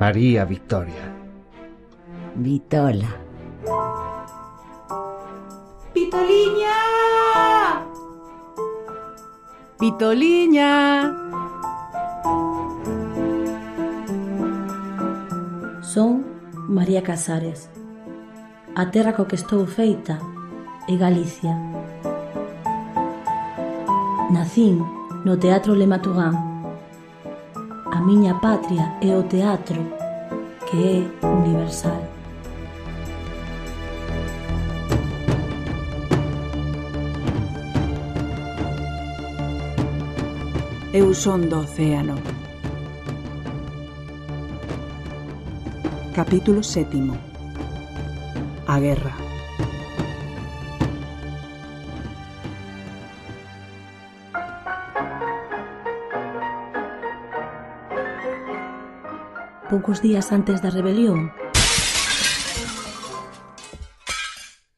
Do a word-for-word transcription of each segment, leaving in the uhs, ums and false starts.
María Victoria. Vitola. Vitoliña! Vitoliña! Son María Casares. A terra co que estou feita é Galicia. Nacín no Teatro Le Matugán. A miña patria é o teatro, que é universal. Eu son do océano. Capítulo sétimo. A guerra. Poucos días antes da rebelión,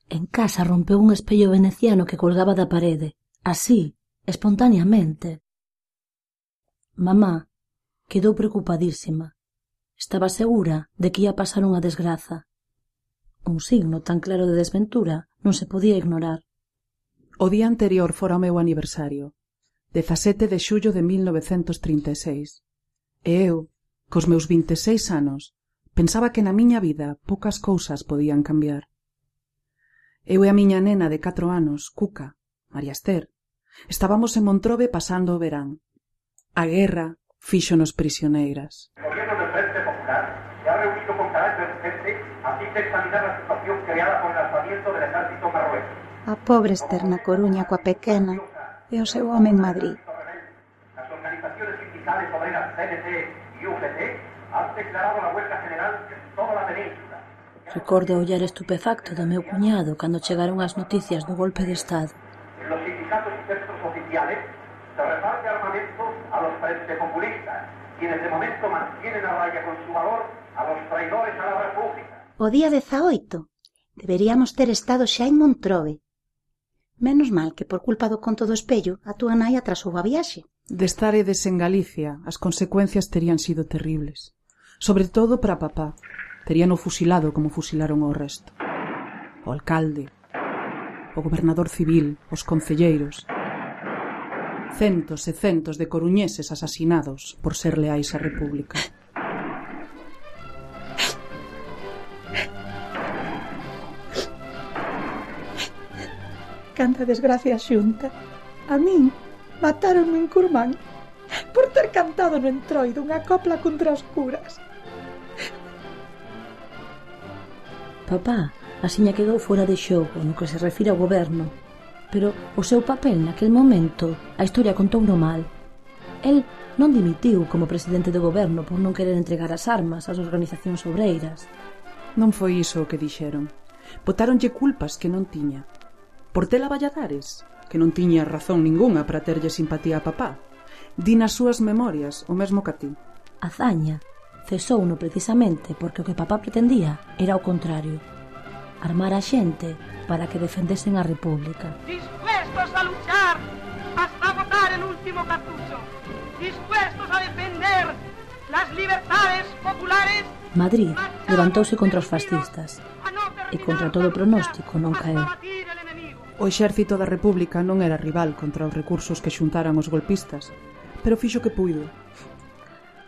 en casa rompeu un espello veneciano que colgaba da parede, así, espontaneamente. Mamá quedou preocupadísima. Estaba segura de que ia pasar unha desgraza. Un signo tan claro de desventura non se podía ignorar. O día anterior fora o meu aniversario, dezasete de xullo de mil novecentos trinta e seis. E eu, cos meus vinte e seis anos, pensaba que na miña vida poucas cousas podían cambiar. Eu e a miña nena de catro anos, Cuca, María Ester, estábamos en Montrobe pasando o verán. A guerra fíxonos prisioneiras. El gobierno del Frente Popular se ha reunido con carácter urgente a fin de examinar la situación creada por el alzamiento del ejército marroquí. A pobre Ester na Coruña coa pequena e o seu home en Madrid. Las organizaciones sindicales obreras C N T y U G T han declarado la huelga general en toda la península. Recordo o ollar estupefacto do meu cuñado cando chegaron as noticias do golpe de Estado. En los sindicatos y centros oficiales se reparte armamento a los frente populistas, quienes de momento mantienen a raya con su valor a los traidores a la República. O día dezaoito deberíamos ter estado xa en Montrobe. Menos mal que por culpa do conto do espello a túa nai atrasou a viaxe. De estaredes en Galicia, as consecuencias terían sido terribles. Sobre todo para papá. Teríano fusilado como fusilaron o resto. O alcalde, o gobernador civil, os concelleiros. Centos e centos de coruñeses asasinados por ser leais á República. Canta desgracia xunta. A min matáronme en Curmán por ter cantado no entroido unha copla contra os curas. Papá asiña quedou fora de xogo no que se refire ao goberno, pero o seu papel naquel momento a historia contouno mal. El non dimitiu como presidente do goberno por non querer entregar as armas ás organizacións obreiras. Non foi iso o que dixeron. Botáronlle culpas que non tiña. Portela Valladares, que non tiña razón ningunha para terlle simpatía a papá. Di nas súas memorias o mesmo que a ti. Azaña cesouno precisamente porque o que papá pretendía era o contrario. Armar a xente para que defendesen a República. Dispuestos a luchar hasta agotar el último cartucho. Dispuestos a defender las libertades populares. Madrid levantouse contra os fascistas e contra todo pronóstico non caeu. O exército da República non era rival contra os recursos que xuntaran os golpistas, pero fixo que puido.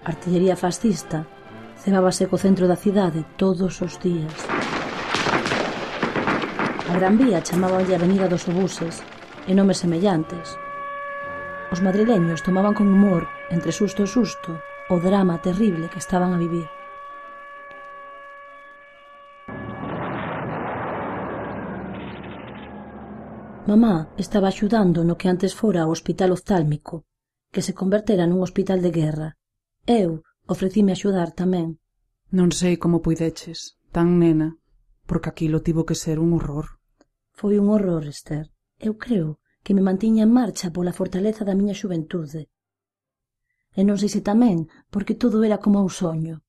A artillería fascista cebábase co centro da cidade todos os días. A Gran Vía chamábanlle Avenida dos Obuses e nomes semellantes. Os madrileños tomaban con humor, entre susto e susto, o drama terrible que estaban a vivir. Mamá estaba axudando no que antes fora o hospital oftálmico, que se convertera nun hospital de guerra. Eu ofrecíme axudar tamén. Non sei como puideches, tan nena, porque aquilo tivo que ser un horror. Foi un horror, Ester. Eu creo que me mantiña en marcha pola fortaleza da miña xuventude. E non sei se tamén porque todo era como un soño.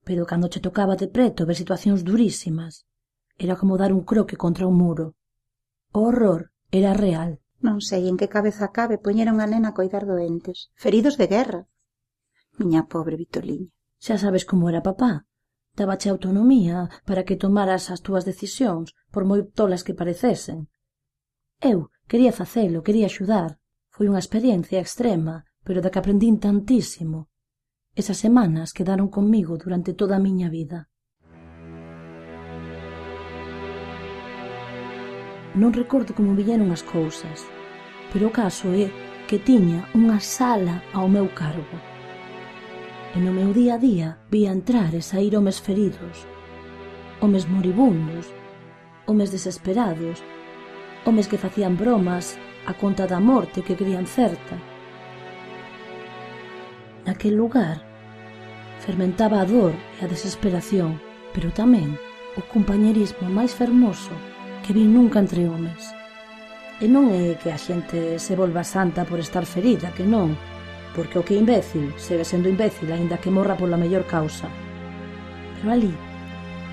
Pero cando che tocaba de preto ver situacións durísimas, era como dar un croque contra un muro. O horror era real. Non sei en que cabeza cabe poñer a unha nena a coidar doentes, feridos de guerra. Miña pobre Vitoliña. Xa sabes como era papá. Dábache autonomía para que tomaras as túas decisións, por moi tolas que parecesen. Eu quería facelo, quería axudar. Foi unha experiencia extrema, pero da que aprendín tantísimo. Esas semanas quedaron comigo durante toda a miña vida. Non recordo como villeron as cousas, pero o caso é que tiña unha sala ao meu cargo. E no meu día a día vía entrar e saír homes feridos, homes moribundos, homes desesperados, homes que facían bromas a conta da morte que crían certa. Naquel lugar fermentaba a dor e a desesperación, pero tamén o compañerismo máis fermoso que vi nunca entre homes. E non é que a xente se volva santa por estar ferida, que non, porque o que é imbécil segue sendo imbécil aínda que morra pola mellor causa. Pero ali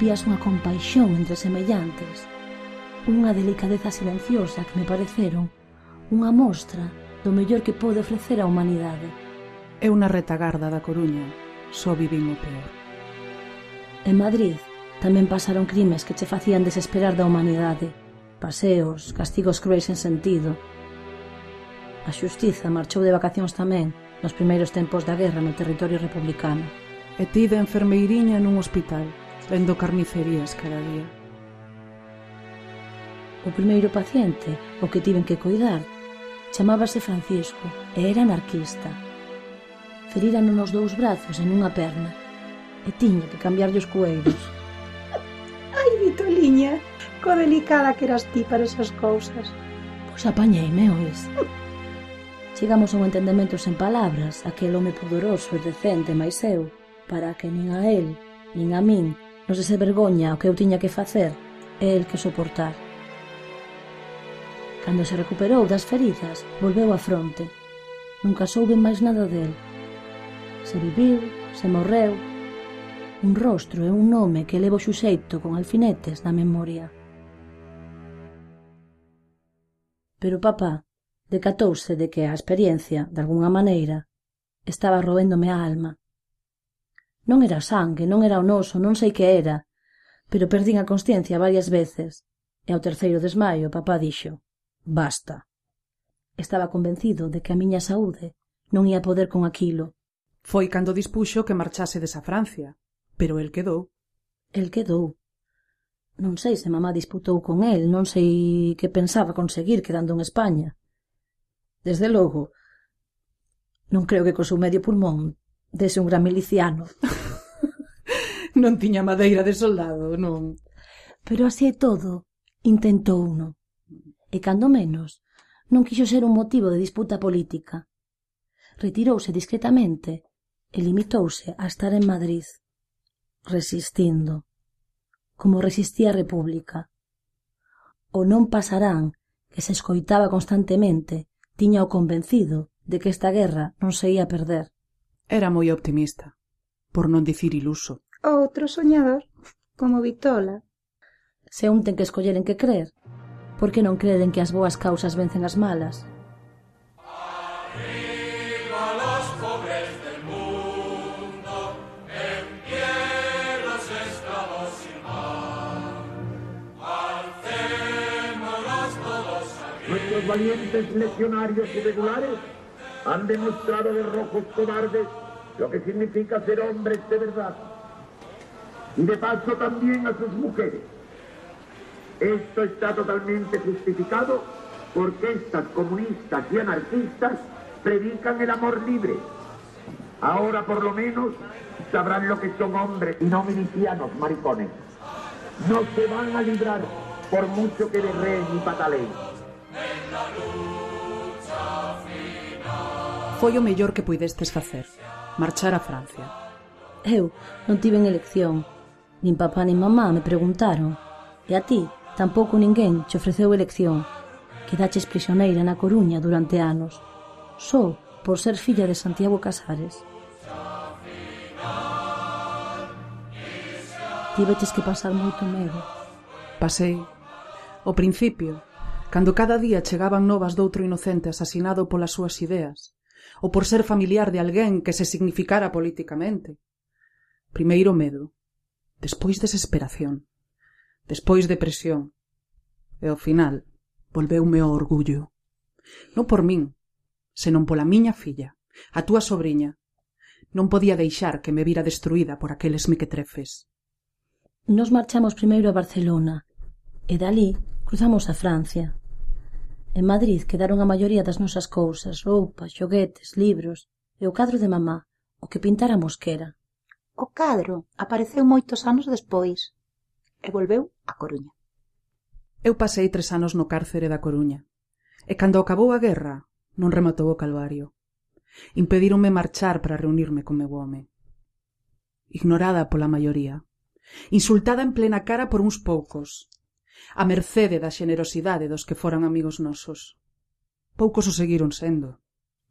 vías unha compaixón entre semellantes, unha delicadeza silenciosa que me pareceron unha mostra do mellor que pode ofrecer a humanidade. Eu na retagarda da Coruña só vivín o peor. En Madrid tamén pasaron crimes que che facían desesperar da humanidade, paseos, castigos cruéis sen sentido. A xustiza marchou de vacacións tamén nos primeiros tempos da guerra no territorio republicano. E ti de enfermeiriña nun hospital, vendo carnicerías cada día. O primeiro paciente, o que tiven que coidar, chamábase Francisco e era anarquista. Feríran nos dous brazos e nunha perna, e tiña que cambiarlle os cueiros. Ai, Vitoliña, co delicada que eras ti para esas cousas. Pois apañeime, ois. Chegamos a un entendemento sen palabras, aquel home pudoroso e decente máis eu, para que nin a él, nin a min, non se vergoña o que eu tiña que facer e el que soportar. Cando se recuperou das feridas, volveu á fronte. Nunca souben máis nada del. Se viviu, se morreu. Un rostro e un nome que levo xuxeito con alfinetes na memoria. Pero papá decatouse de que a experiencia, de algunha maneira, estaba roéndome a alma. Non era sangue, non era o noso, non sei que era, pero perdín a consciencia varias veces, e ao terceiro desmaio papá dixo: basta. Estaba convencido de que a miña saúde non ia poder con aquilo. Foi cando dispuxo que marchasedes a Francia, pero el quedou. El quedou. Non sei se mamá disputou con el, non sei que pensaba conseguir quedando en España. Desde logo, non creo que co seu medio pulmón dese un gran miliciano. Non tiña madeira de soldado, non. Pero así é todo, intentou uno. E cando menos, non quixo ser un motivo de disputa política. Retirouse discretamente e limitouse a estar en Madrid, resistindo, como resistía a República. O non pasarán, que se escoitaba constantemente, tiña o convencido de que esta guerra non se ia perder. Era moi optimista, por non dicir iluso. Outro soñador, como Vitola. Se un ten que escoller en que crer, por que non creden que as boas causas vencen as malas? Arriba los pobres del mundo, en pie los esclavos sin pan. Alcémonos todos arriba. Nuestros valientes legionarios irregulares han demostrado a los rojos cobardes lo que significa ser hombres de verdad. Y de paso también a sus mujeres. Esto está totalmente justificado porque estas comunistas y anarquistas predican el amor libre. Ahora por lo menos sabrán lo que son hombres y no milicianos maricones. No se van a librar por mucho que berreen y pataleen. Foi o mellor que puidestes facer, marchar a Francia. Eu non tiven elección. Nin papá nin mamá me preguntaron. E a ti tampouco ninguén che ofreceu elección. Quedaches prisioneira na Coruña durante anos, só por ser filla de Santiago Casares. Tiveches que pasar moito medo. Pasei. Ao principio, cando cada día chegaban novas doutro inocente asasinado polas súas ideas, ou por ser familiar de alguén que se significara políticamente. Primeiro medo, despois desesperación, despois depresión, e ao final volveume o orgullo. Non por min, senón pola miña filla, a túa sobriña. Non podía deixar que me vira destruída por aqueles mequetrefes. Nos marchamos primeiro a Barcelona, e dali cruzamos a Francia. En Madrid quedaron a maioría das nosas cousas, roupas, xoguetes, libros, e o cadro de mamá, o que pintara Mosquera. O cadro apareceu moitos anos despois e volveu a Coruña. Eu pasei tres anos no cárcere da Coruña, e cando acabou a guerra non rematou o calvario. Impedíronme marchar para reunirme con meu home. Ignorada pola maioría, insultada en plena cara por uns poucos, a mercede da xenerosidade dos que foran amigos nosos. Poucos o seguiron sendo.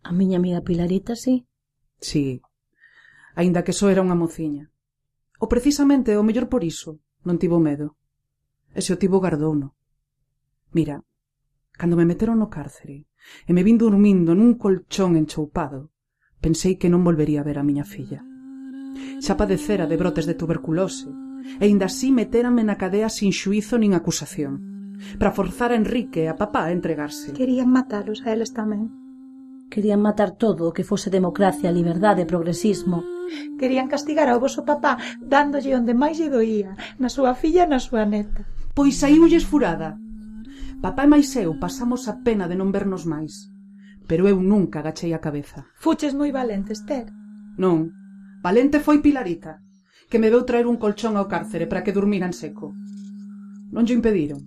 A miña amiga Pilarita, sí? Sí, aínda que só era unha mociña. O precisamente, o mellor por iso, non tivo medo. E se o tivo gardouno. Mira, cando me meteron no cárcere e me vin dormindo nun colchón enchoupado, pensei que non volvería a ver a miña filla. Xa padecera de brotes de tuberculose, e inda así metérame na cadea sin xuízo nin acusación, para forzar a Enrique e a papá a entregarse. Querían matalos a eles tamén. Querían matar todo o que fose democracia, liberdade e progresismo. Querían castigar ao voso papá dándolle onde máis lle doía, na súa filla e na súa neta. Pois saíulles furada. Papá e máis eu pasamos a pena de non vernos máis, pero eu nunca agachei a cabeza. Fuches moi valente, Esther. Non, valente foi Pilarita, que me veu traer un colchón ao cárcere para que durmira en seco. Non lle impediron.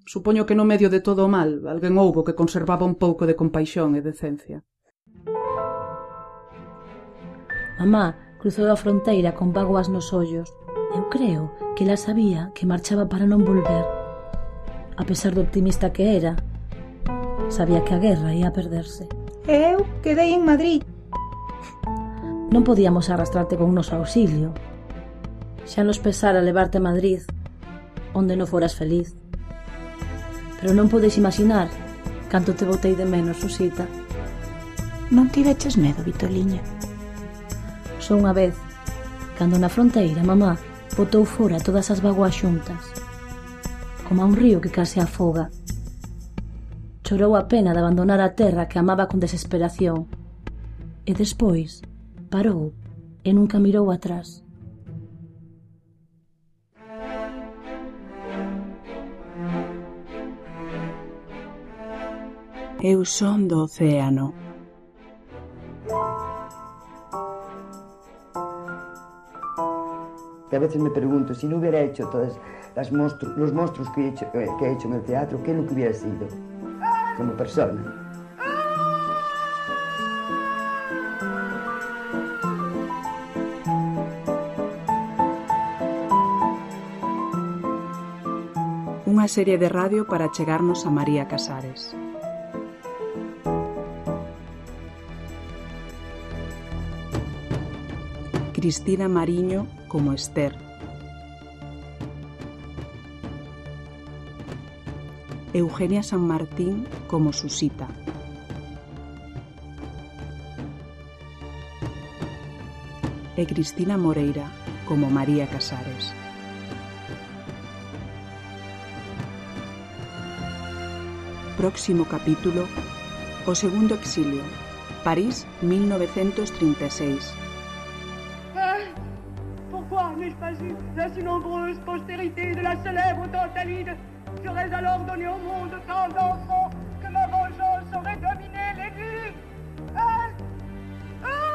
Supoño que no medio de todo o mal alguén houbo que conservaba un pouco de compaixón e decencia. Mamá cruzou a fronteira con vaguas nos ollos. Eu creo que ela sabía que marchaba para non volver. A pesar do optimista que era, sabía que a guerra ia a perderse. E eu quedei en Madrid. Non podíamos arrastrarte con noso auxilio. Xa nos pesara levarte a Madrid, onde non foras feliz. Pero non podes imaginar canto te botei de menos, Susita. Non tiveches medo, Vitoliña? Só unha vez, cando na fronteira mamá botou fora todas as vaguas xuntas, como a un río que case afoga. Chorou a pena de abandonar a terra que amaba con desesperación, e despois parou e nunca mirou atrás. Eu son do océano. Que a veces me pregunto, si no hubiera hecho todos las monstru los monstruos que he, hecho, eh, que he hecho en el teatro, ¿qué es lo que hubiera sido como persona? Unha serie de radio para chegarnos a María Casares. Cristina Mariño como Esther. Eugenia San Martín como Susita. E Cristina Moreira como María Casares. Próximo capítulo: O segundo exilio, París, mil novecientos treinta y seis. Pourquoi n'ai-je pas eu la si nombreuse postérité de la célèbre Tantalide? J'aurais alors donné au monde tant d'enfants que ma vengeance aurait dominé les vies. Hein? Ah!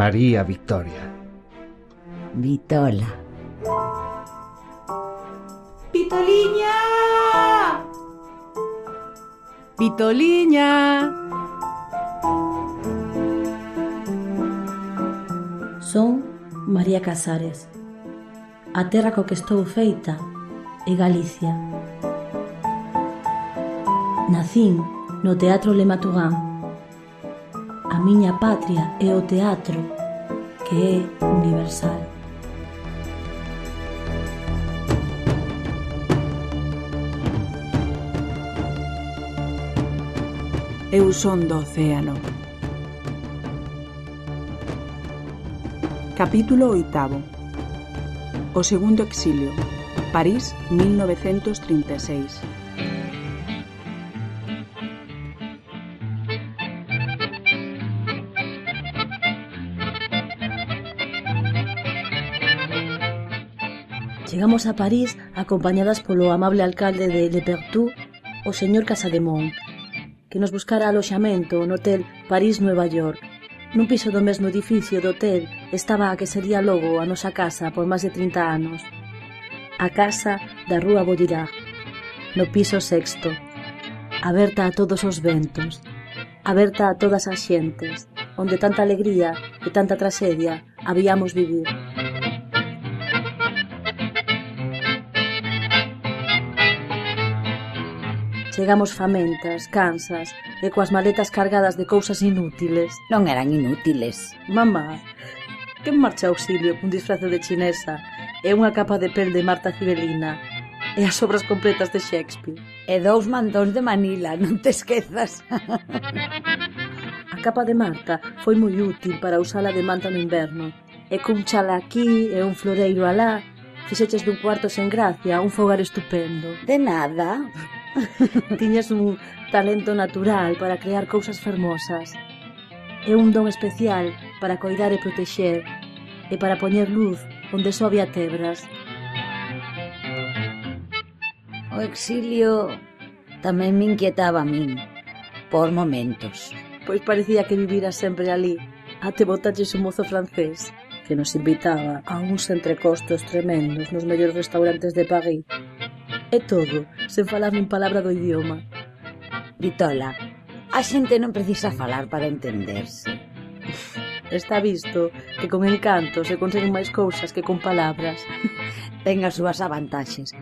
María Victoria. Vitola. Vitoliña! Vitoliña! Son María Casares. A terra co que estou feita é Galicia. Nacín no Teatro Le Matugán. A miña patria é o teatro, que é universal. Eu son do océano. Capítulo oitavo. O segundo exilio. París, mil novecentos trinta e seis. Chegamos a París acompañadas polo amable alcalde de Le Perthus, o señor Casademont, que nos buscara aloxamento no hotel París Nueva York. Nun piso do mesmo edificio do hotel estaba a que sería logo a nosa casa por máis de trinta anos. A casa da Rúa Vaugirard, no piso sexto, aberta a todos os ventos, aberta a todas as xentes, onde tanta alegría e tanta traxedia habíamos vivir. Chegamos famentas, cansas e coas maletas cargadas de cousas inútiles. Non eran inútiles. Mamá, que marcha auxilio cun disfrace de chinesa e unha capa de pel de Marta Cibelina e as obras completas de Shakespeare. E dous mandóns de Manila, non te esquezas. A capa de Marta foi moi útil para usala de manta no inverno. E cun chala aquí e un floreiro alá, fixeches dun cuarto sen gracia un fogar estupendo. De nada. Tiñas un talento natural para crear cousas fermosas e un don especial para coidar e protexer e para poñer luz onde só había tebras. O exilio tamén me inquietaba a min, por momentos. Pois parecía que vivira sempre ali, até botaches un mozo francés que nos invitaba a uns entrecostos tremendos nos mellores restaurantes de París. E todo, sen falar nin palabra do idioma. Vitola, a xente non precisa falar para entenderse. Está visto que con encanto se conseguen máis cousas que con palabras. Ten as súas avantaxes.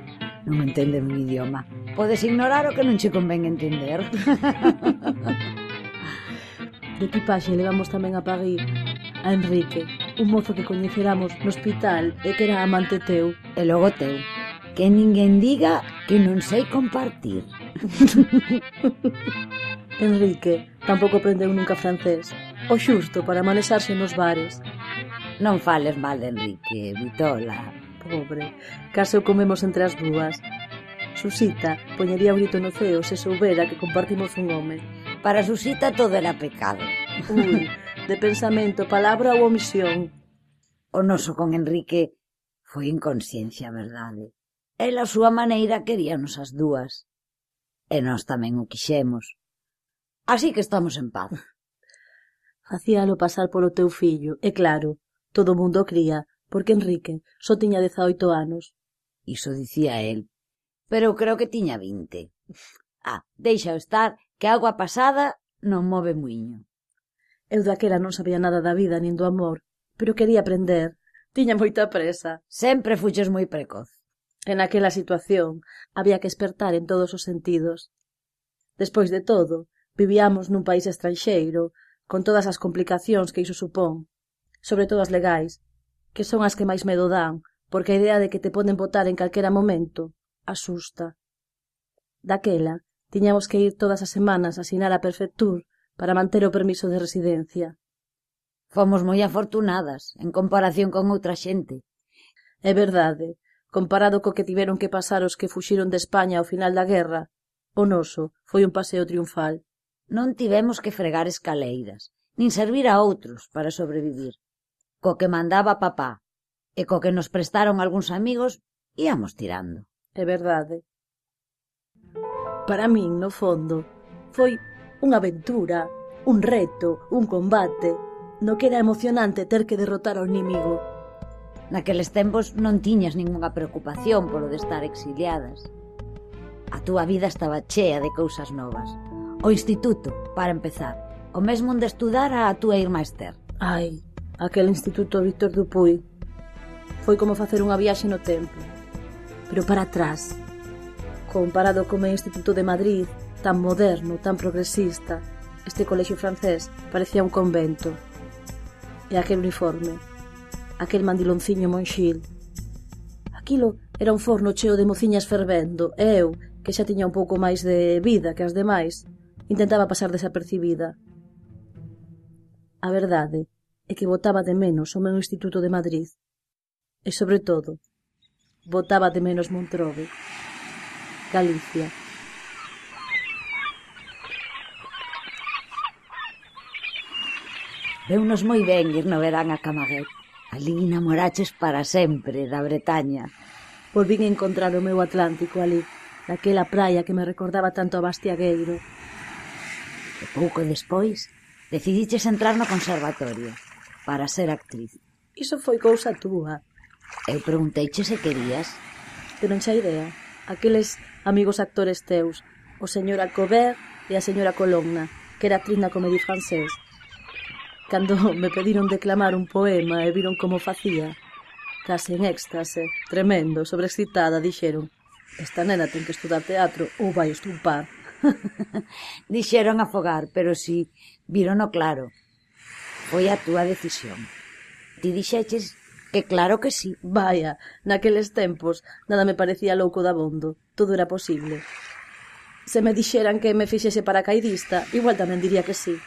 Non entende un idioma. Podes ignorar o que non che convén entender. De equipaxe levamos tamén a París a Enrique, un mozo que coñeceramos no hospital e que era amante teu. E logo teu. Que ninguén diga que non sei compartir. Enrique tampouco aprendeu nunca francés, o xusto para manexarse nos bares. Non fales mal de Enrique, Vitola. Pobre, case o comemos entre as dúas. Susita poñería o grito no ceo se soubera que compartimos un home. Para Susita todo era pecado. Ui, de pensamento, palabra ou omisión. O noso con Enrique foi inconsciencia, verdade. Ela, a súa maneira, queríanos as dúas. E nós tamén o quixemos. Así que estamos en paz. Facíalo pasar polo teu fillo, e claro, todo o mundo cría, porque Enrique só tiña dezaoito anos. Iso dicía el, pero eu creo que tiña vinte. Ah, deixa estar, que a agua pasada non move muiño. Eu daquela non sabía nada da vida nin do amor, pero quería aprender. Tiña moita presa. Sempre fuches moi precoz. En aquela situación había que espertar en todos os sentidos. Despois de todo, vivíamos nun país estranxeiro, con todas as complicacións que iso supón, sobre todo as legais, que son as que máis medo dan, porque a idea de que te poden botar en calquera momento asusta. Daquela, tiñamos que ir todas as semanas a asinar a prefectura para manter o permiso de residencia. Fomos moi afortunadas, en comparación con outra xente. É verdade. Comparado co que tiveron que pasar os que fuxiron de España ao final da guerra, o noso foi un paseo triunfal. Non tivemos que fregar escaleiras, nin servir a outros para sobrevivir. Co que mandaba papá e co que nos prestaron algúns amigos, íamos tirando. É verdade. Para min, no fondo, foi unha aventura, un reto, un combate, no que era emocionante ter que derrotar ao inimigo. Naqueles tempos non tiñas ningunha preocupación polo de estar exiliadas. A túa vida estaba chea de cousas novas. O instituto, para empezar. O mesmo onde estudara a túa irmá Esther. Ai, aquel instituto Víctor Dupuy. Foi como facer unha viaxe no tempo. Pero para atrás. Comparado co meu instituto de Madrid, tan moderno, tan progresista, este colexio francés parecía un convento. E aquel uniforme, aquel mandilonciño monxil. Aquilo era un forno cheo de mociñas fervendo, e eu, que xa tiña un pouco máis de vida que as demais, intentaba pasar desapercibida. A verdade é que botaba de menos o meu instituto de Madrid. E, sobre todo, botaba de menos Montrove, Galicia. Veunos moi ben ir no verán a Camaguet. Ali namoraches para sempre da Bretaña. Volvín a encontrar o meu Atlántico ali, naquela praia que me recordaba tanto a Bastiagueiro. E pouco despois, decidiches entrar no conservatorio para ser actriz. Iso foi cousa túa. Eu pregunteiche se querías. Pero non xa idea. Aqueles amigos actores teus, o señor Alcover e a señora Colonna, que era actriz na Comédie Française. Cando me pediron declamar un poema e viron como facía, case en éxtase, tremendo, sobreexcitada, dixeron: esta nena ten que estudar teatro ou vai estumpar. Dixeron afogar, pero si, vírono claro. Foi a túa decisión. Ti dixeches que claro que sí. Vaya, naqueles tempos nada me parecía louco dabondo, todo era posible. Se me dixeran que me fixese paracaidista, igual tamén diría que sí.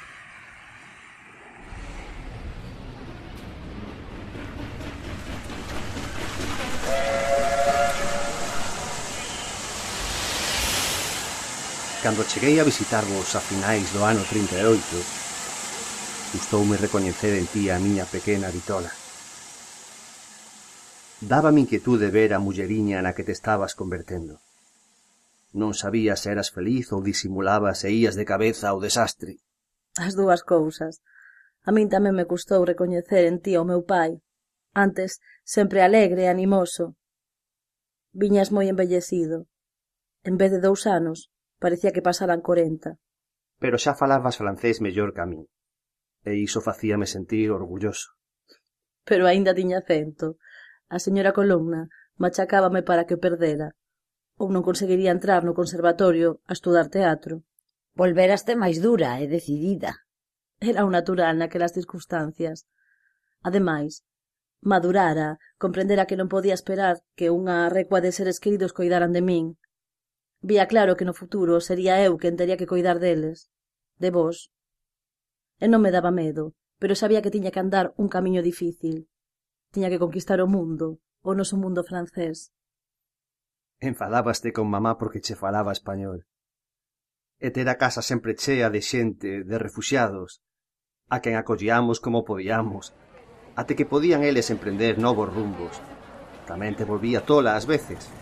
Cando cheguei a visitarvos a finais do ano trinta e oito, gustoume recoñecer en ti a miña pequena Vitola. Dábame inquietude ver a mulleriña na que te estabas convertendo. Non sabías se eras feliz ou disimulabas e ías de cabeza ao desastre. As dúas cousas. A min tamén me custou recoñecer en ti ao meu pai. Antes, sempre alegre e animoso. Viñas moi embellecido. En vez de dous anos, parecía que pasaran corenta. Pero xa falabas francés mellor que a min, e iso facíame sentir orgulloso. Pero aínda tiña acento. A señora Colonna machacábame para que o perdera, ou non conseguiría entrar no conservatorio a estudar teatro. Volveraste máis dura e decidida. Era o natural naquelas circunstancias. Ademais, madurara, comprendera que non podía esperar que unha recua de seres queridos coidaran de min. Vía claro que no futuro sería eu quen tería que coidar deles, de vos. E non me daba medo, pero sabía que tiña que andar un camiño difícil. Tiña que conquistar o mundo, o noso mundo francés. Enfadábaste con mamá porque che falaba español. E ter a casa sempre chea de xente, de refuxiados, a quen acollíamos como podíamos, até que podían eles emprender novos rumbos. Tamén te volvía tola ás veces.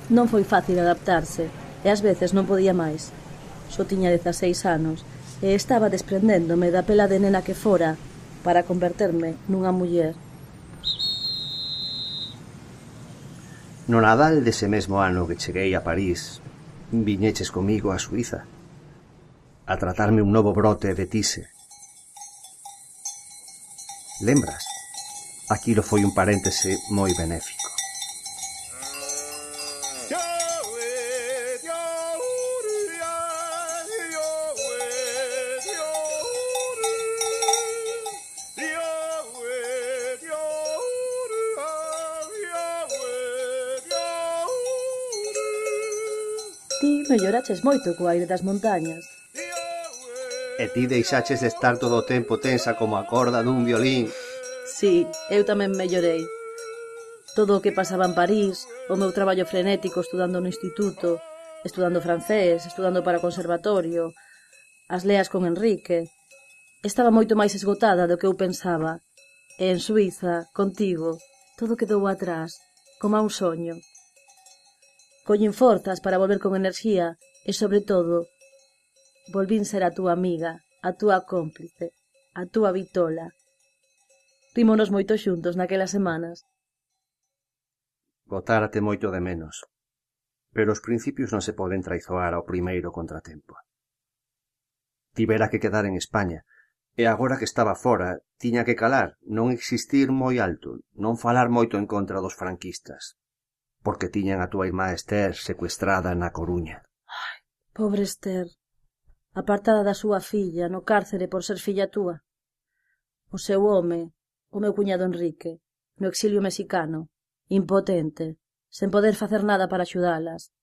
Non foi fácil adaptarse, e ás veces non podía máis. Só tiña dezaseis anos, e estaba desprendéndome da pela de nena que fora para converterme nunha muller. No Nadal dese mesmo ano que cheguei a París, viñeches comigo a Suiza, a tratarme un novo brote de tise. Lembras? Aquilo foi un paréntese moi benéfico. Ti melloraches moito co aire das montañas. E ti deixaches de estar todo o tempo tensa como a corda dun violín. Sí, eu tamén mellorei. Todo o que pasaba en París, o meu traballo frenético estudando no instituto, estudando francés, estudando para o conservatorio, as leas con Enrique. Estaba moito máis esgotada do que eu pensaba. E en Suiza, contigo, todo quedou atrás, como a un soño. Collín forzas para volver con enerxía e, sobre todo, volvín ser a túa amiga a túa cómplice, a túa vitola. Rímonos moito xuntos naquelas semanas. Botárate moito de menos, pero os principios non se poden traizoar ao primeiro contratempo. Tivera que quedar en España, e agora que estaba fora, tiña que calar, non existir moi alto, non falar moito en contra dos franquistas, porque tiñan a túa irmá Esther secuestrada na Coruña. Ai, pobre Esther, apartada da súa filla no cárcere por ser filla túa. O seu home, o meu cuñado Enrique, no exilio mexicano, impotente, sen poder facer nada para axudalas.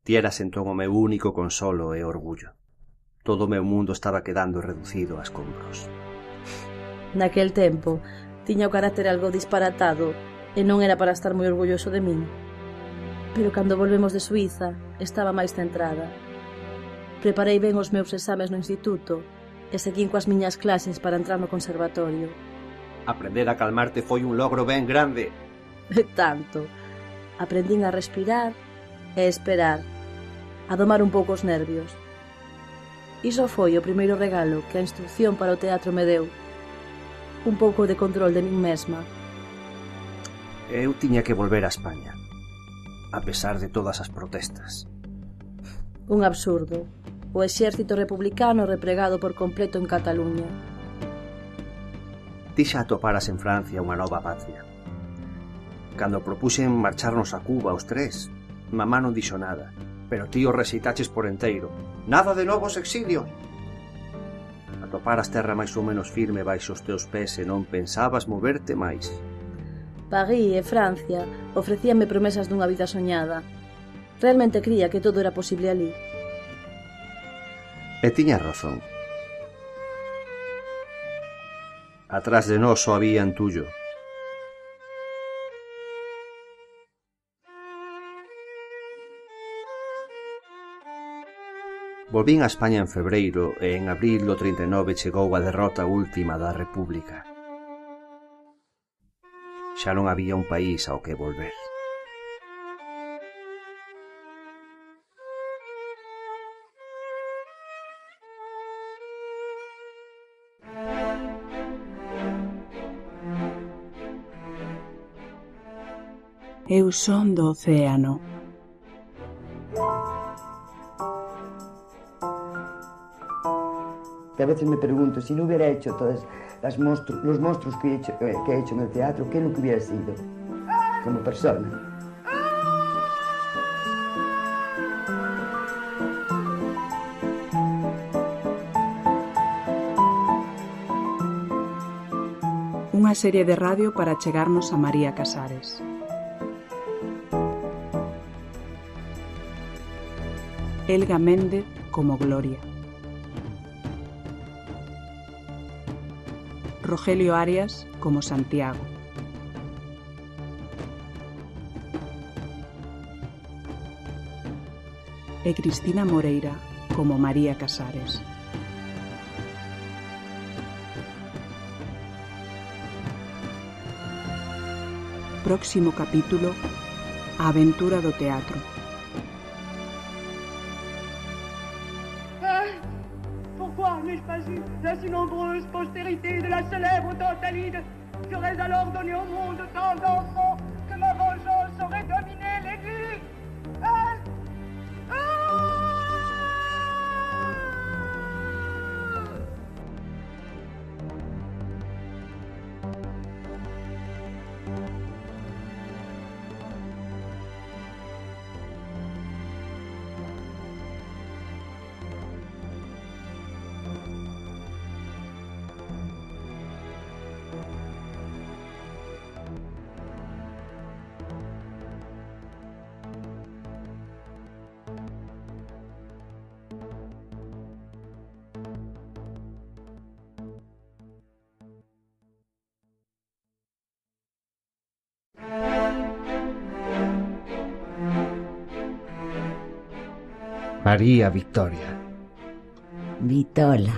Ti eras entón o meu único consolo e orgullo. Todo o meu mundo estaba quedando reducido a escombros. Naquel tempo, tiña o carácter algo disparatado e non era para estar moi orgulloso de min. Pero cando volvemos de Suíza, estaba máis centrada. Preparei ben os meus exames no instituto e seguín coas miñas clases para entrar no conservatorio. Aprender a calmarte foi un logro ben grande. E tanto. Aprendín a respirar e esperar, a domar un pouco os nervios. Iso foi o primeiro regalo que a instrucción para o teatro me deu. Un pouco de control de min mesma. Eu tiña que volver a España, a pesar de todas as protestas. Un absurdo. O exército republicano repregado por completo en Cataluña. Ti xa atoparas en Francia unha nova patria. Cando propuxen marcharnos a Cuba os tres, mamá non dixo nada, pero ti o rexeitaches por enteiro. Nada de novos exilios. Atoparas terra máis ou menos firme baixo os teus pés e non pensabas moverte máis. París e Francia ofrecíanme promesas dunha vida soñada. Realmente cría que todo era posible ali. E tiña razón. Atrás de nós só había entullo. Volvín a España en febreiro e en abril do trinta e nove chegou a derrota última da República. Xa non había un país ao que volver. Eu son do océano. Que a veces me pregunto, si no hubiera hecho todos las monstru los monstruos que he, hecho, eh, que he hecho en el teatro, ¿qué es lo que hubiera sido como persona? Unha serie de radio para chegarnos a María Casares. Elga Méndez como Gloria. Rogelio Arias como Santiago. E Cristina Moreira como María Casares. Próximo capítulo: A aventura do teatro. Pourquoi n'ai-je pas eu la si nombreuse postérité de la célèbre Tantalide? J'aurais alors donné au monde tant d'enfants que ma vengeance aurait dominé les vies. Ah! María Victoria. Vitola.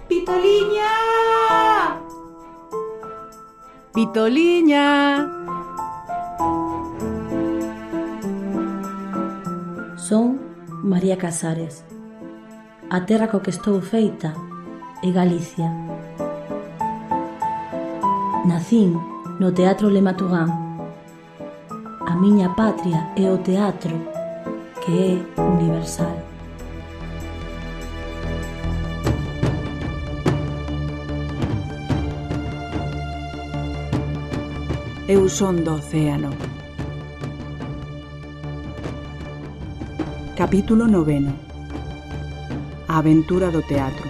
Vitoliña! Vitoliña! Son María Casares. A terra co que estou feita é Galicia. Nacín no Teatro Le Matugán. A miña patria é o teatro, que é universal. Eu son do océano. Capítulo noveno. A aventura do teatro.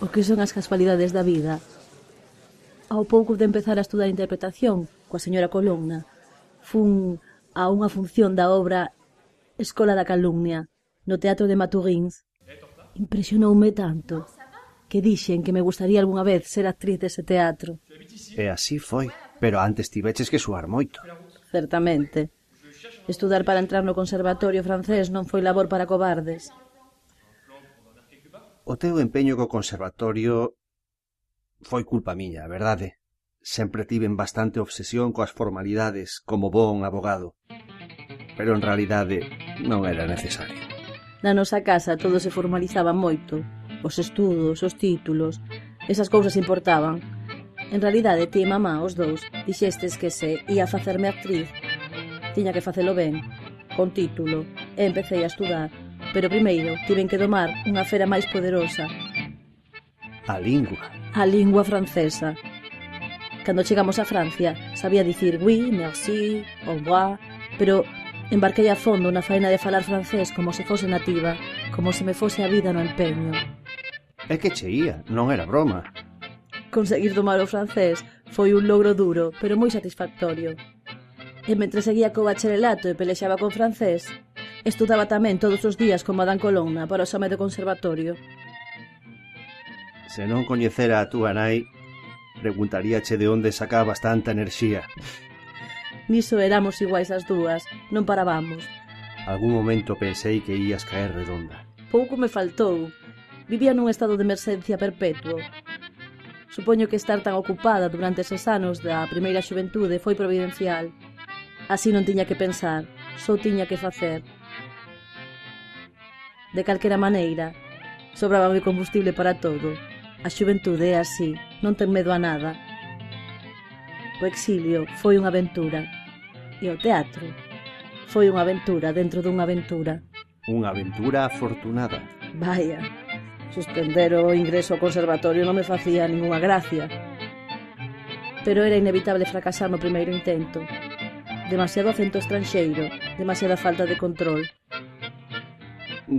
O que son as casualidades da vida? Ao pouco de empezar a estudar interpretación coa señora Columna, fun a unha función da obra Escola da Calumnia no Teatro de Maturíns. Impresionoume tanto que dixen que me gustaría algunha vez ser actriz dese teatro. E así foi, pero antes tiveches que suar moito. Certamente. Estudar para entrar no conservatorio francés non foi labor para cobardes. O teu empeño co conservatorio foi culpa miña, a verdade. Sempre tiven bastante obsesión coas formalidades como bon abogado. Pero en realidade non era necesario. Na nosa casa todo se formalizaba moito. Os estudos, os títulos, esas cousas importaban. En realidade, ti e mamá, os dous, dixestes que se ia facerme actriz. Tiña que facelo ben, con título, e empecé a estudar. Pero primeiro tiven que domar unha fera máis poderosa. A lingua. A lingua francesa. Cando chegamos a Francia, sabía dicir oui, merci, au revoir, pero embarquei a fondo na faena de falar francés como se fose nativa, como se me fose a vida no empeño. É que che ía, non era broma. Conseguir domar o francés foi un logro duro, pero moi satisfactorio. E mentre seguía co bacharelato e pelexaba con francés, estudaba tamén todos os días con Madame Colonna para o exame do conservatorio. Se non coñecera a túa nai, preguntaríache de onde sacabas tanta enerxía. Niso éramos iguais as dúas, non parábamos. Algún momento pensei que ías caer redonda. Pouco me faltou. Vivía nun estado de emerxencia perpetuo. Supoño que estar tan ocupada durante eses anos da primeira xuventude foi providencial. Así non tiña que pensar, só tiña que facer. De calquera maneira, sobraba o combustible para todo. A xuventude é así, non ten medo a nada. O exilio foi unha aventura. E o teatro foi unha aventura dentro dunha aventura. Unha aventura afortunada. Vaya, suspender o ingreso ao conservatorio non me facía ninguna gracia. Pero era inevitable fracasar no primeiro intento. Demasiado acento estranxeiro, demasiada falta de control.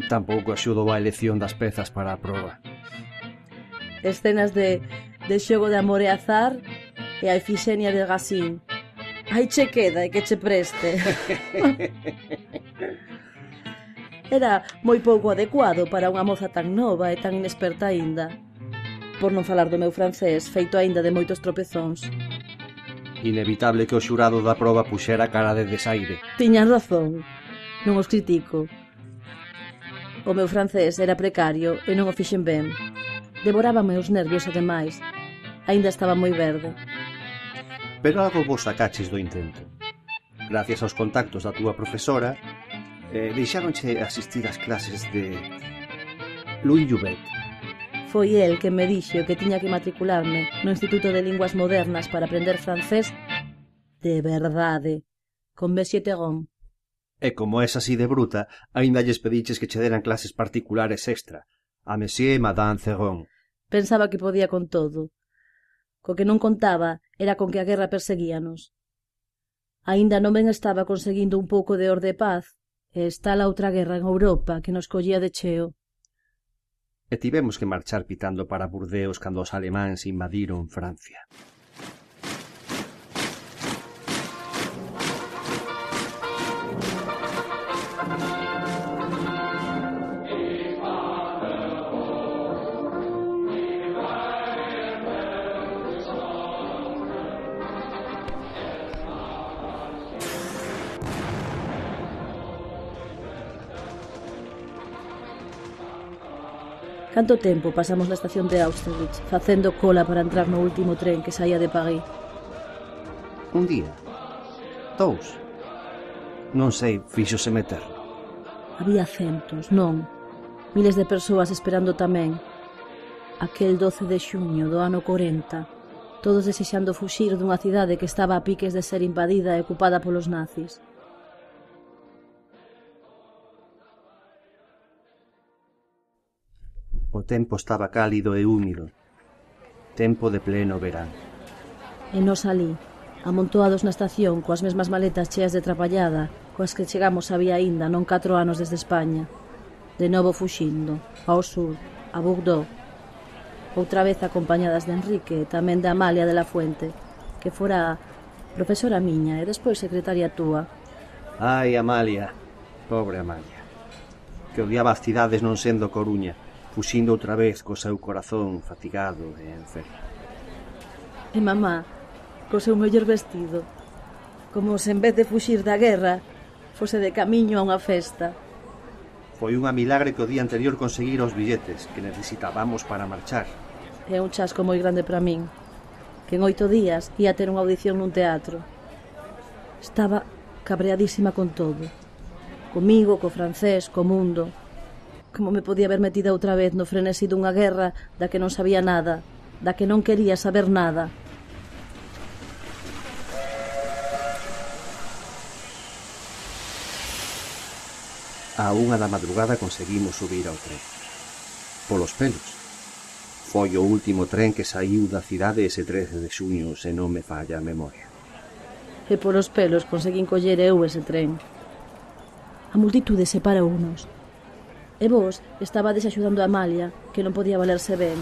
Tampouco axudou a elección das pezas para a proba. Escenas de, de xogo de amor e azar e a Efixenia de Racine. Aí che queda e que che preste. Era moi pouco adecuado para unha moza tan nova e tan inexperta aínda. Por non falar do meu francés, feito aínda de moitos tropezóns. Inevitable que o xurado da proba puxera cara de desaire. Tiñan razón, non os critico. O meu francés era precario e non o fixen ben. Devorábame os nervios ademais. Aínda estaba moi verde. Pero algo vos sacaches do intento. Gracias aos contactos da túa profesora, eh, deixáronche asistir ás clases de Louis Jouvet. Foi el que me dixo que tiña que matricularme no Instituto de Linguas Modernas para aprender francés de verdade, con Monsieur Theron. E como es así de bruta, aínda lles pediches que che deran clases particulares extra, a Monsieur e Madame Theron. Pensaba que podía con todo. Co que non contaba era con que a guerra perseguíanos. Aínda non ben estaba conseguindo un pouco de orde e paz, e está a outra guerra en Europa que nos collía de cheo. E tivemos que marchar pitando para Burdeos cando os alemáns invadiron Francia. Canto tempo pasamos na estación de Austerlitz facendo cola para entrar no último tren que saía de París. Un día, dous, non sei, fíxose meter. Había centos, non, miles de persoas esperando tamén. Aquel doce de xuño do ano corenta, todos desexando fuxir dunha cidade que estaba a piques de ser invadida e ocupada polos nazis. O tempo estaba cálido e húmido, tempo de pleno verán. E nos alí, amontoados na estación coas mesmas maletas cheas de trapallada coas que chegamos había aínda non catro anos desde España, de novo fuxindo, ao sur, a Bordeaux, outra vez acompañadas de Enrique e tamén de Amalia de la Fuente, que fora profesora miña e despois secretaria túa. Ai, Amalia, pobre Amalia, que odiaba as cidades non sendo Coruña, fuxindo outra vez co seu corazón fatigado e enfermo. E mamá, co seu mellor vestido, como se en vez de fuxir da guerra, fose de camiño a unha festa. Foi unha milagre que o día anterior conseguir os billetes que necesitábamos para marchar. É un chasco moi grande para min, que en oito días ia ter unha audición nun teatro. Estaba cabreadísima con todo, comigo, co francés, co mundo. Como me podía haber metida outra vez no frenesí dunha guerra da que non sabía nada, da que non quería saber nada. A unha da madrugada conseguimos subir ao tren. Polos pelos. Foi o último tren que saiu da cidade ese trece de xuño, se non me falla a memoria. E polos pelos conseguín coller eu ese tren. A multitude separounos. E vos estabades axudando a Amalia, que non podía valerse ben.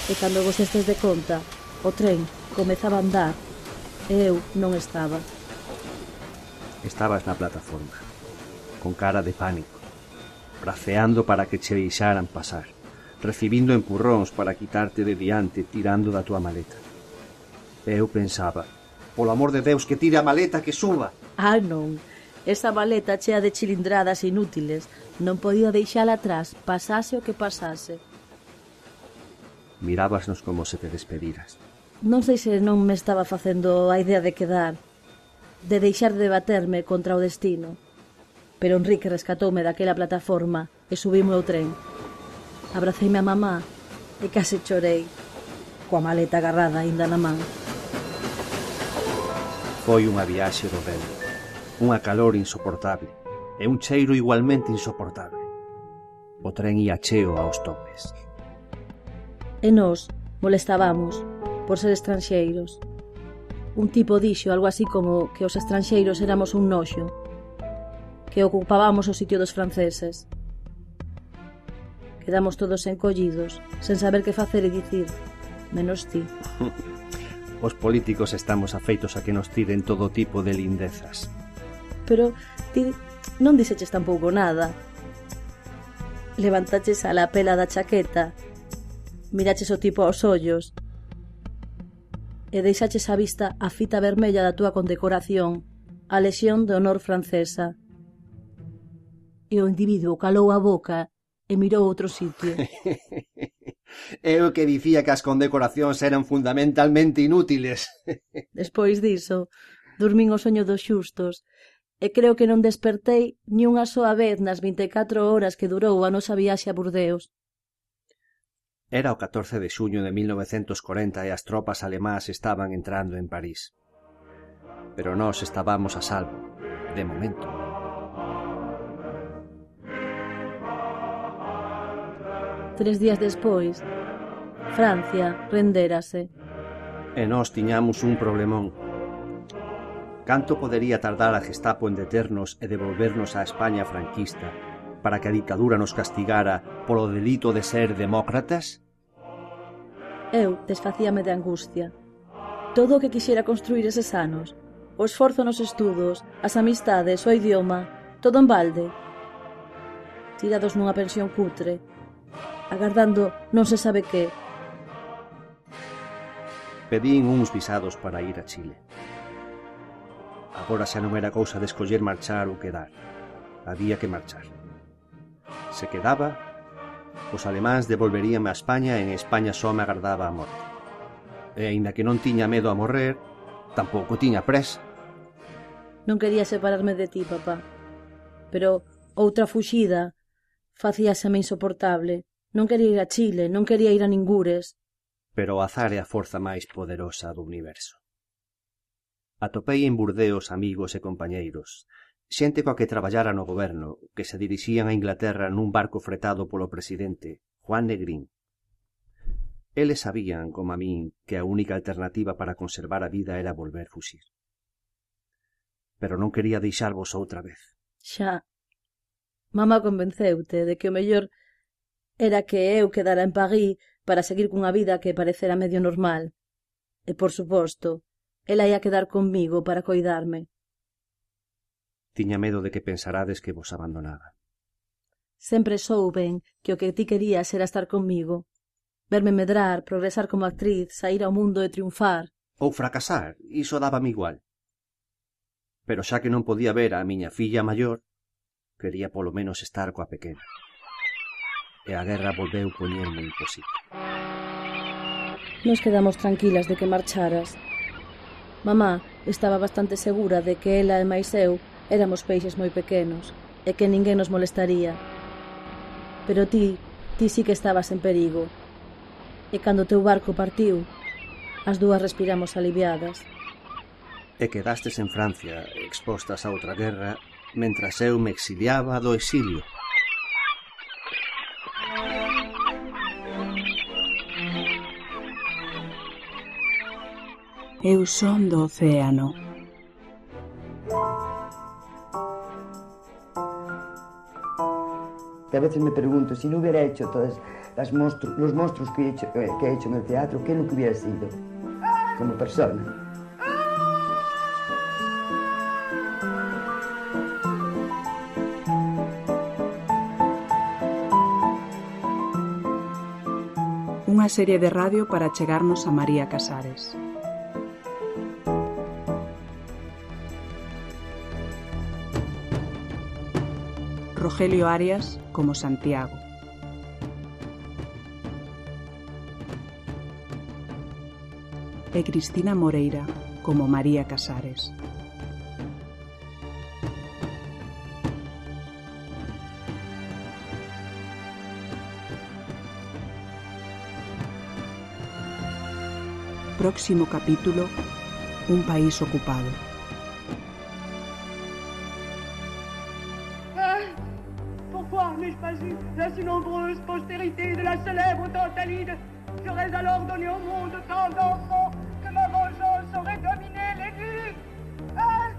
E cando vos estes de conta, o tren comezaba a andar, e eu non estaba. Estabas na plataforma, con cara de pánico, braceando para que che deixaran pasar, recibindo empurróns para quitarte de diante tirando da tua maleta. E eu pensaba, polo amor de Deus, que tire a maleta, que suba. Ah, non, esa maleta chea de chilindradas inútiles non podía deixala atrás, pasase o que pasase. Mirábasnos como se te despediras. Non sei se non me estaba facendo a idea de quedar, de deixar de baterme contra o destino. Pero Enrique rescatoume daquela plataforma e subime ao tren. Abraceime a mamá e case chorei, coa maleta agarrada aínda na man. Foi unha viaxe do vento, unha calor insoportable e un cheiro igualmente insoportable. O tren ia cheo aos topes. E nós molestábamos por ser estranxeiros. Un tipo dixo algo así como que os estranxeiros éramos un noxo, que ocupábamos o sitio dos franceses. Quedamos todos encollidos, sen saber que facer e dicir, menos ti. Os políticos estamos afeitos a que nos tiren todo tipo de lindezas. Pero ti non dixeches tampouco nada. Levantaches a la pela da chaqueta, miraches o tipo aos ollos, e deixaches a vista a fita vermella da túa condecoración, a Lexión de Honor francesa. E o individuo calou a boca e mirou outro sitio. Eu que dicía que as condecoracións eran fundamentalmente inútiles. Despois diso, dormín o soño dos xustos, e creo que non despertei ni unha soa vez nas vinte e catro horas que durou a nosa viaxe a Burdeos. Era o catorce de xuño de mil novecentos corenta e as tropas alemás estaban entrando en París. Pero nós estábamos a salvo, de momento. Tres días despois, Francia rendérase. E nós tiñamos un problemón. Canto podería tardar a Gestapo en deternos e devolvernos á España franquista para que a dictadura nos castigara polo delito de ser demócratas? Eu desfacíame de angustia. Todo o que quixera construir eses anos, o esforzo nos estudos, as amistades, o idioma, todo en balde. Tirados nunha pensión cutre, agardando non se sabe que. Pedín uns visados para ir a Chile. Agora xa non era cousa de escoller marchar ou quedar. Había que marchar. Se quedaba, os alemáns devolveríanme a España e en España só me agardaba a morte. e aínda que non tiña medo a morrer, tampouco tiña presa. Non quería separarme de ti, papá. Pero outra fuxida facíaseme insoportable. Non quería ir a Chile, non quería ir a ningures. Pero o azar é a forza máis poderosa do universo. Atopei en Burdeos amigos e compañeiros, xente coa que traballara no goberno, que se dirixían a Inglaterra nun barco fretado polo presidente, Juan Negrín. Eles sabían, como a min, que a única alternativa para conservar a vida era volver fuxir. Pero non quería deixarvos outra vez. Xa. Mamá convenceute de que o mellor era que eu quedara en París para seguir cunha vida que parecera medio normal. E, por suposto, ela ia quedar comigo para coidarme. Tiña medo de que pensarades que vos abandonaba. Sempre souben que o que ti querías era estar comigo. Verme medrar, progresar como actriz, sair ao mundo e triunfar. Ou fracasar, iso dábame igual. Pero xa que non podía ver a miña filla maior, quería polo menos estar coa pequena. E a guerra volveu poñerme imposible. Nos quedamos tranquilas de que marcharas. Mamá estaba bastante segura de que ela e máis eu éramos peixes moi pequenos e que ninguén nos molestaría. Pero ti, ti sí que estabas en perigo. E cando o teu barco partiu, as dúas respiramos aliviadas. E quedastes en Francia, expostas a outra guerra, mentras eu me exiliaba do exilio. Eu son do océano. Que a veces me pregunto, si no hubiera hecho todos las monstru los monstruos que he, hecho, eh, que he hecho en el teatro, ¿qué es lo que hubiera sido como persona? Unha serie de radio para chegarnos a María Casares. Rogelio Arias como Santiago. E Cristina Moreira como María Casares. Próximo capítulo: un país ocupado. Pourquoi n'ai-je pas eu la si nombreuse postérité de la célèbre Tantalide? J'aurais alors donné au monde tant d'enfants que ma vengeance aurait dominé les vies. Hein?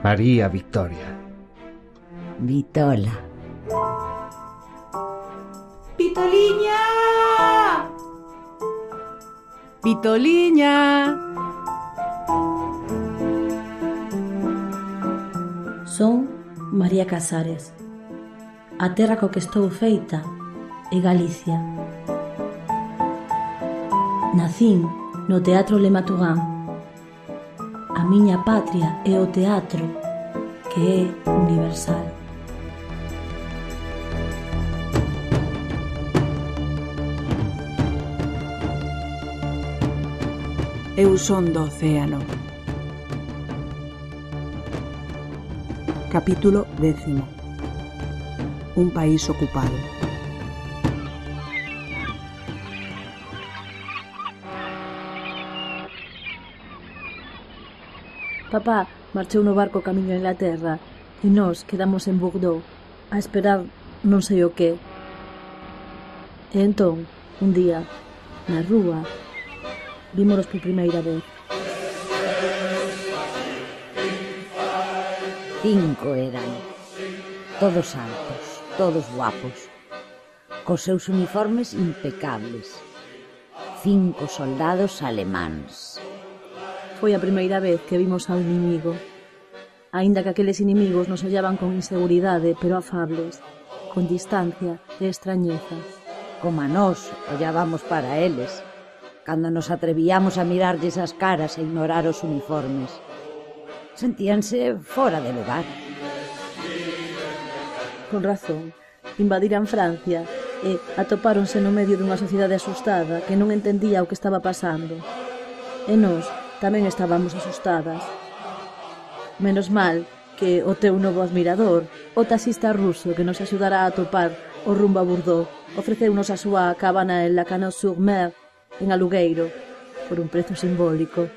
María Victoria. Vitola. Vitoliña! Vitoliña! Son María Casares. A terra co que estou feita é Galicia. Nacín no Teatro Le Matugán. A miña patria é o teatro, que é universal. Eu son do océano. Capítulo décimo. Un país ocupado. Papá marchou no barco camiño a Inglaterra e nós quedamos en Bordeaux a esperar non sei o que. E entón, un día, na rúa, vímonos por primeira vez. Cinco eran, todos altos, todos guapos, cos seus uniformes impecables. Cinco soldados alemáns. Foi a primeira vez que vimos ao inimigo. Aínda que aqueles inimigos nos ollaban con inseguridade, pero afables, con distancia e extrañeza. Como a nós ollábamos para eles, cando nos atrevíamos a mirarlles as caras e ignorar os uniformes. Sentíanse fora de lugar. Con razón, invadiran Francia e atopáronse no medio dunha sociedade asustada que non entendía o que estaba pasando. E nós tamén estábamos asustadas. Menos mal que o teu novo admirador, o taxista ruso que nos axudará a atopar o rumbo a Bordeaux, ofreceunos a súa cabana en Lacanau-sur-Mer, en Alugueiro, por un prezo simbólico.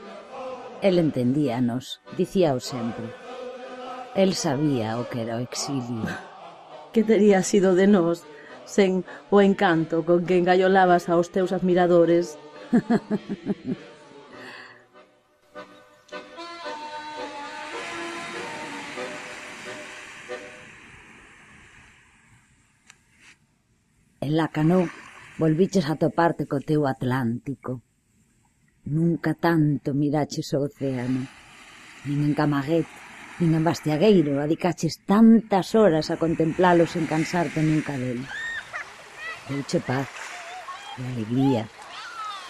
El entendíanos, dicíao sempre. El sabía o que era o exilio. Que tería sido de nós sen o encanto con que engallolabas aos teus admiradores? En Lacanau volviches a toparte co teu Atlántico. Nunca tanto miraches o océano. Nin en Camaguet, nin en Bastiagueiro adicaches tantas horas a contemplalos sen cansarte nunca del. Deuche paz e alegría.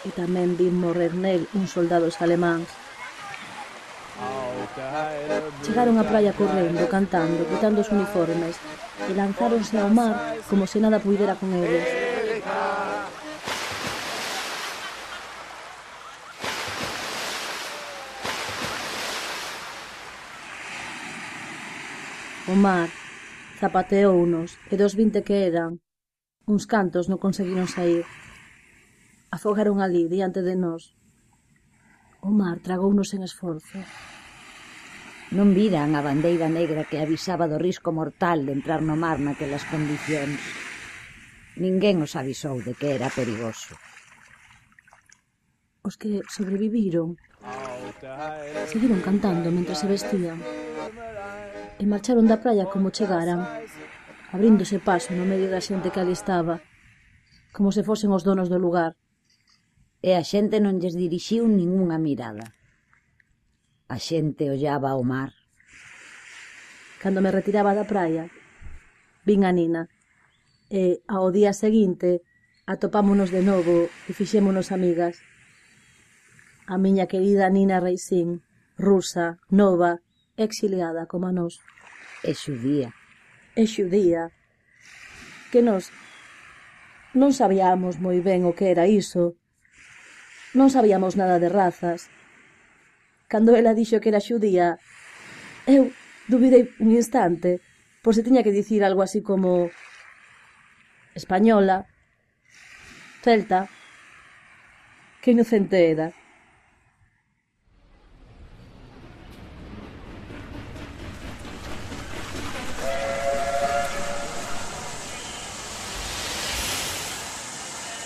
E tamén vi morrer nel uns soldados alemáns. Chegaron á praia correndo, cantando, quitando os uniformes e lanzáronse ao mar como se nada puidera con eles. O mar zapateounos e dos vinte que eran, uns cantos non conseguiron sair. Afogaron ali, diante de nós. O mar tragounos en esforzo. Non viran a bandeira negra que avisaba do risco mortal de entrar no mar naquelas condicións. Ninguén os avisou de que era perigoso. Os que sobreviviron seguiron cantando mentre se vestían e marcharon da praia como chegaran, abríndose paso no medio da xente que ali estaba, como se fosen os donos do lugar. E a xente non lles dirixiu ningunha mirada. A xente ollaba ao mar. Cando me retiraba da praia, vin a Nina, e ao día seguinte atopámonos de novo e fixémonos amigas. A miña querida Nina Reisín, rusa, nova, exiliada como a nós. E xudía. E xudía. Que nós non sabíamos moi ben o que era iso. Non sabíamos nada de razas. Cando ela dixo que era xudía, eu dubidei un instante, por se tiña que dicir algo así como española, celta. Que inocente era.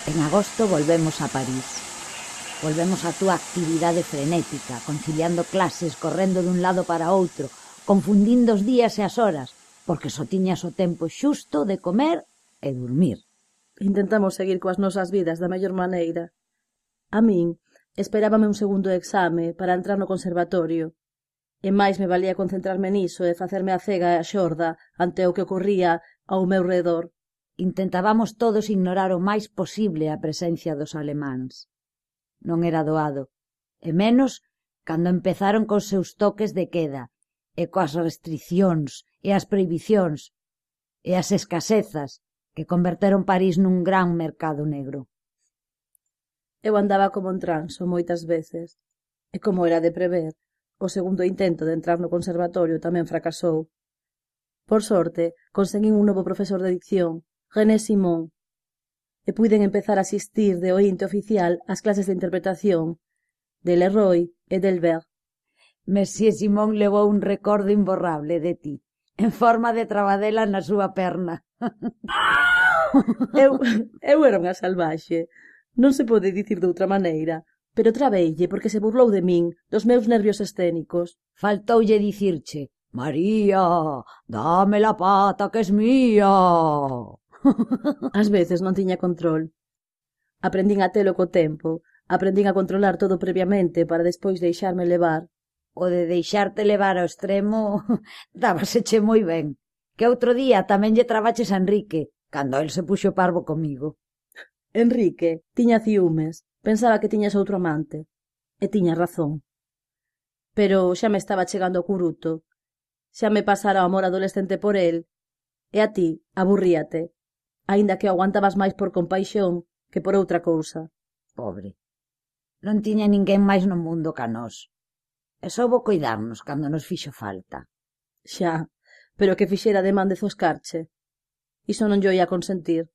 En agosto volvemos a París. Volvemos á túa actividade frenética, conciliando clases, correndo dun lado para outro, confundindo os días e as horas, porque só tiñas o tempo xusto de comer e dormir. Intentamos seguir coas nosas vidas da mellor maneira. A min esperábame un segundo exame para entrar no conservatorio, e máis me valía concentrarme niso e facerme a cega e a xorda ante o que ocorría ao meu redor. Intentábamos todos ignorar o máis posible a presencia dos alemáns. Non era doado, e menos cando empezaron cos seus toques de queda, e coas restriccións, e as prohibicións, e as escasezas que converteron París nun gran mercado negro. Eu andaba como en transo moitas veces, e como era de prever, o segundo intento de entrar no conservatorio tamén fracasou. Por sorte, conseguín un novo profesor de dicción, René Simon, e puiden empezar a asistir de oínte oficial ás clases de interpretación de Leroy e d'Elbert. Monsieur Simon levou un recordo imborrable de ti, en forma de trabadela na súa perna. eu, eu era unha salvaxe, non se pode dicir de outra maneira, pero trabeille porque se burlou de min, dos meus nervios escénicos. Faltoulle dicirche: María, dame la pata que es mía. Ás veces non tiña control. Aprendín a telo co tempo, aprendín a controlar todo previamente para despois deixarme levar. O de deixarte levar ao extremo dábaseche moi ben. Que outro día tamén lle trabaches a Enrique, cando el se puxo parvo comigo. Enrique tiña ciúmes, pensaba que tiñas outro amante. E tiña razón. Pero xa me estaba chegando o curuto. Xa me pasara o amor adolescente por el. E a ti, aburríate. Aínda que aguantabas máis por compaixón que por outra cousa. Pobre. Non tiña ninguén máis no mundo ca nós. E soubo coidarnos cando nos fixo falta. Xa, pero que fixera de man de zoscarche. Iso non yo ia consentir.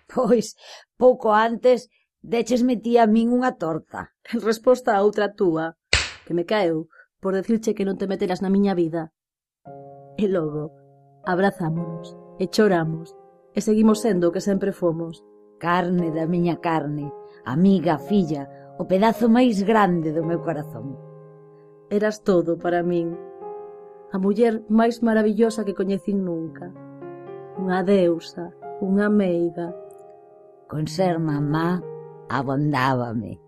Pois, pouco antes, deches metía a min unha torta. En resposta a outra túa, que me caeu por decirche que non te meteras na miña vida. E logo, abrazámonos, e choramos, e seguimos sendo o que sempre fomos. Carne da miña carne, amiga, filla, o pedazo máis grande do meu corazón. Eras todo para min. A muller máis maravillosa que coñecín nunca. Unha deusa, unha meiga. Con ser mamá, abondábame.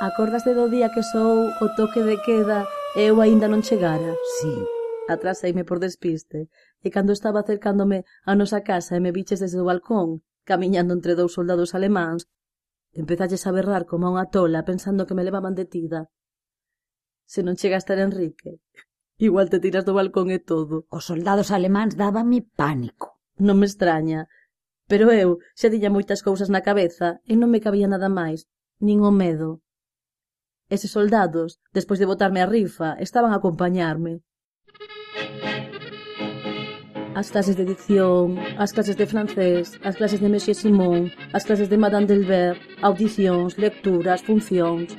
Acordaste do día que soou o toque de queda e eu aínda non chegara? Sí. Atraseime por despiste, e cando estaba acercándome a nosa casa e me biches desde o balcón, camiñando entre dous soldados alemáns, empezaches a berrar como unha tola pensando que me levaban detida. Se non chegaste a Enrique, igual te tiras do balcón e todo. Os soldados alemáns dábame pánico. Non me extraña, pero eu xa tiña moitas cousas na cabeza e non me cabía nada máis, nin o medo. Eses soldados, despois de botarme a rifa, estaban a acompañarme. As clases de dicción, as clases de francés, as clases de Monsieur Simon, as clases de Madame Delbert, audicións, lecturas, funcións.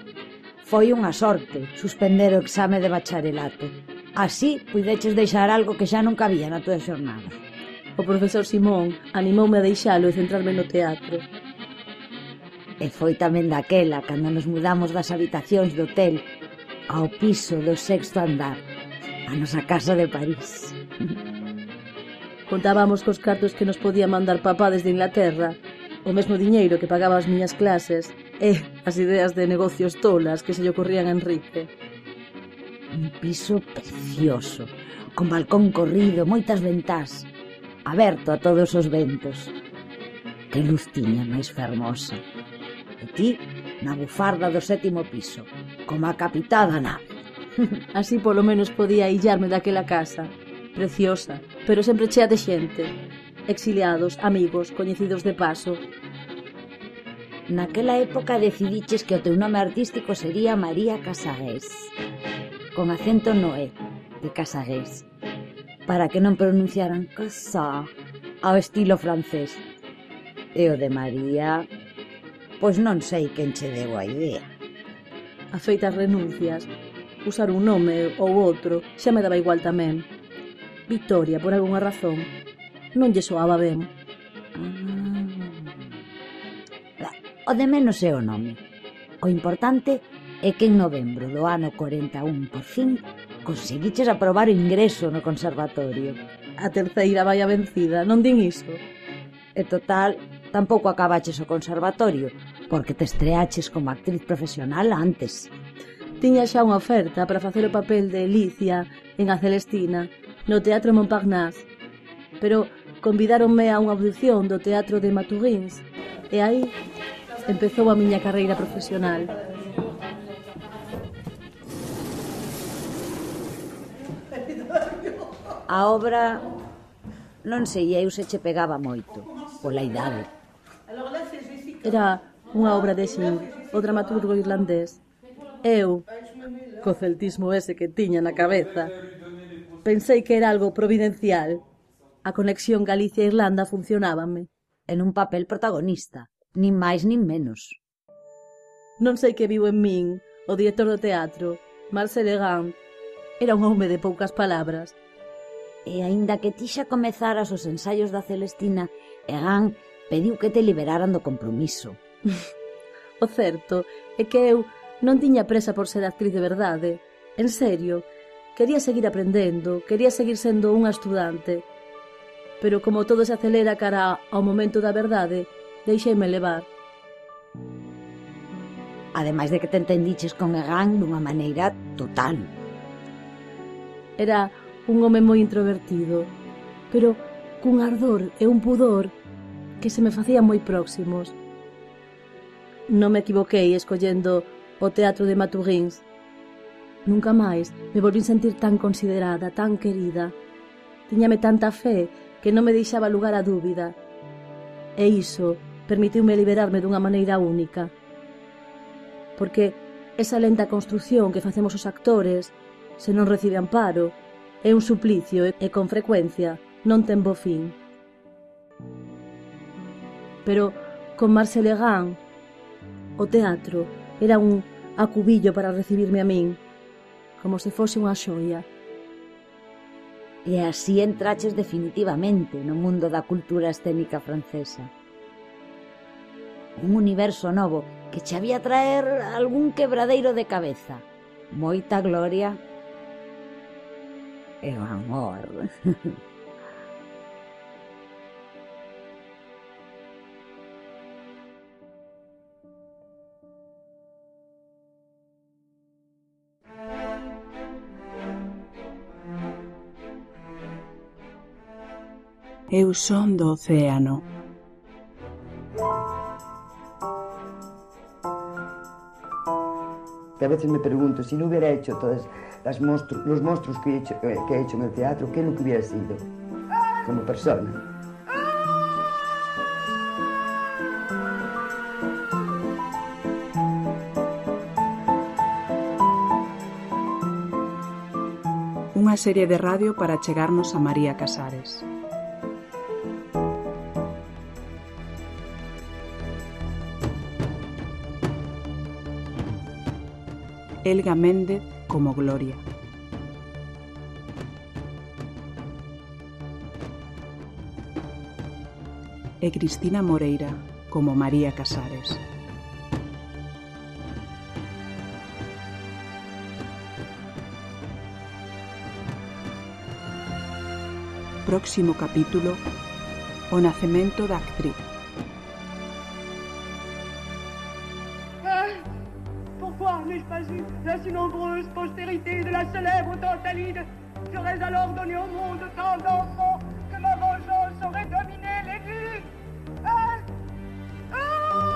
Foi unha sorte suspender o exame de bacharelato. Así puideches deixar algo que xa non cabía na túa xornada. O profesor Simón animoume a deixalo e centrarme no teatro. E foi tamén daquela cando nos mudamos das habitacións do hotel ao piso do sexto andar, a nosa casa de París. Contábamos cos cartos que nos podía mandar papá desde Inglaterra, o mesmo diñeiro que pagaba as miñas clases e as ideas de negocios tolas que se lle ocorrían a Enrique. Un piso precioso, con balcón corrido, moitas ventás, aberto a todos os ventos. Que luz tiña máis fermosa. E ti, na bufarda do sétimo piso, como a capitá da nave. Así polo menos podía illarme daquela casa. Preciosa, pero sempre chea de xente. Exiliados, amigos, coñecidos de paso. Naquela época decidiches que o teu nome artístico sería María Casagués, con acento no E, de Casagués, para que non pronunciaran Casá ao estilo francés. E o de María, pois non sei quen che deu a idea. A feitas renuncias, usar un nome ou outro xa me daba igual tamén. Victoria, por algunha razón, non lle soaba ben. Ah. O de menos é o nome. O importante é que en novembro do ano corenta e un, por fin, conseguiches aprobar o ingreso no conservatorio. A terceira vai a vencida, non din iso? E total, tampouco acabaches o conservatorio, porque te estreaches como actriz profesional antes. Tiña xa unha oferta para facer o papel de Alicia en A Celestina, no Teatro Montparnasse, pero convidáronme a unha audición do Teatro de Maturins, e aí empezou a miña carreira profesional. A obra, non sei eu se che pegaba moito, pola idade. Era unha obra de Xin, o dramaturgo irlandés. Eu, co celtismo ese que tiña na cabeza, pensei que era algo providencial. A conexión Galicia-Irlanda funcionábame. En un papel protagonista, nin máis nin menos. Non sei que viu en min o director do teatro, Marcel Legrand. Era un home de poucas palabras. E aínda que ti xa comezaras os ensaios da Celestina, Egan pediu que te liberaran do compromiso. O certo é que eu non tiña presa por ser actriz de verdade. En serio, quería seguir aprendendo, quería seguir sendo unha estudante. Pero como todo se acelera cara ao momento da verdade, deixeime levar. Ademais de que te entendiches con Egan dunha maneira total. Era un home moi introvertido, pero cun ardor e un pudor que se me facían moi próximos. Non me equivoquei escollendo o teatro de Maturins. Nunca máis me volvín sentir tan considerada, tan querida. Tiñame tanta fe que non me deixaba lugar a dúbida. E iso permitiume liberarme dunha maneira única. Porque esa lenta construción que facemos os actores, se non recibe amparo, é un suplicio e con frecuencia non ten bo fin. Pero con Marcel Egan, o teatro era un acubillo para recibirme a min, como se fose unha xoia. E así entraches definitivamente no mundo da cultura escénica francesa. Un universo novo que che había traer algún quebradeiro de cabeza, moita gloria e o amor. Eu son do océano. Que a veces me pregunto, si no hubiera hecho todos las monstru los monstruos que he, hecho, eh, que he hecho en el teatro, ¿qué es lo que hubiera sido como persona? Unha serie de radio para chegarnos a María Casares. Elga Méndez como Gloria. E Cristina Moreira como María Casares. Próximo capítulo: o nacemento da actriz. Pourquoi n'ai-je pas eu la si nombreuse postérité de la célèbre Tantalide? J'aurais alors donné au monde tant d'enfants que ma vengeance aurait dominé les vies. Ah! Ah!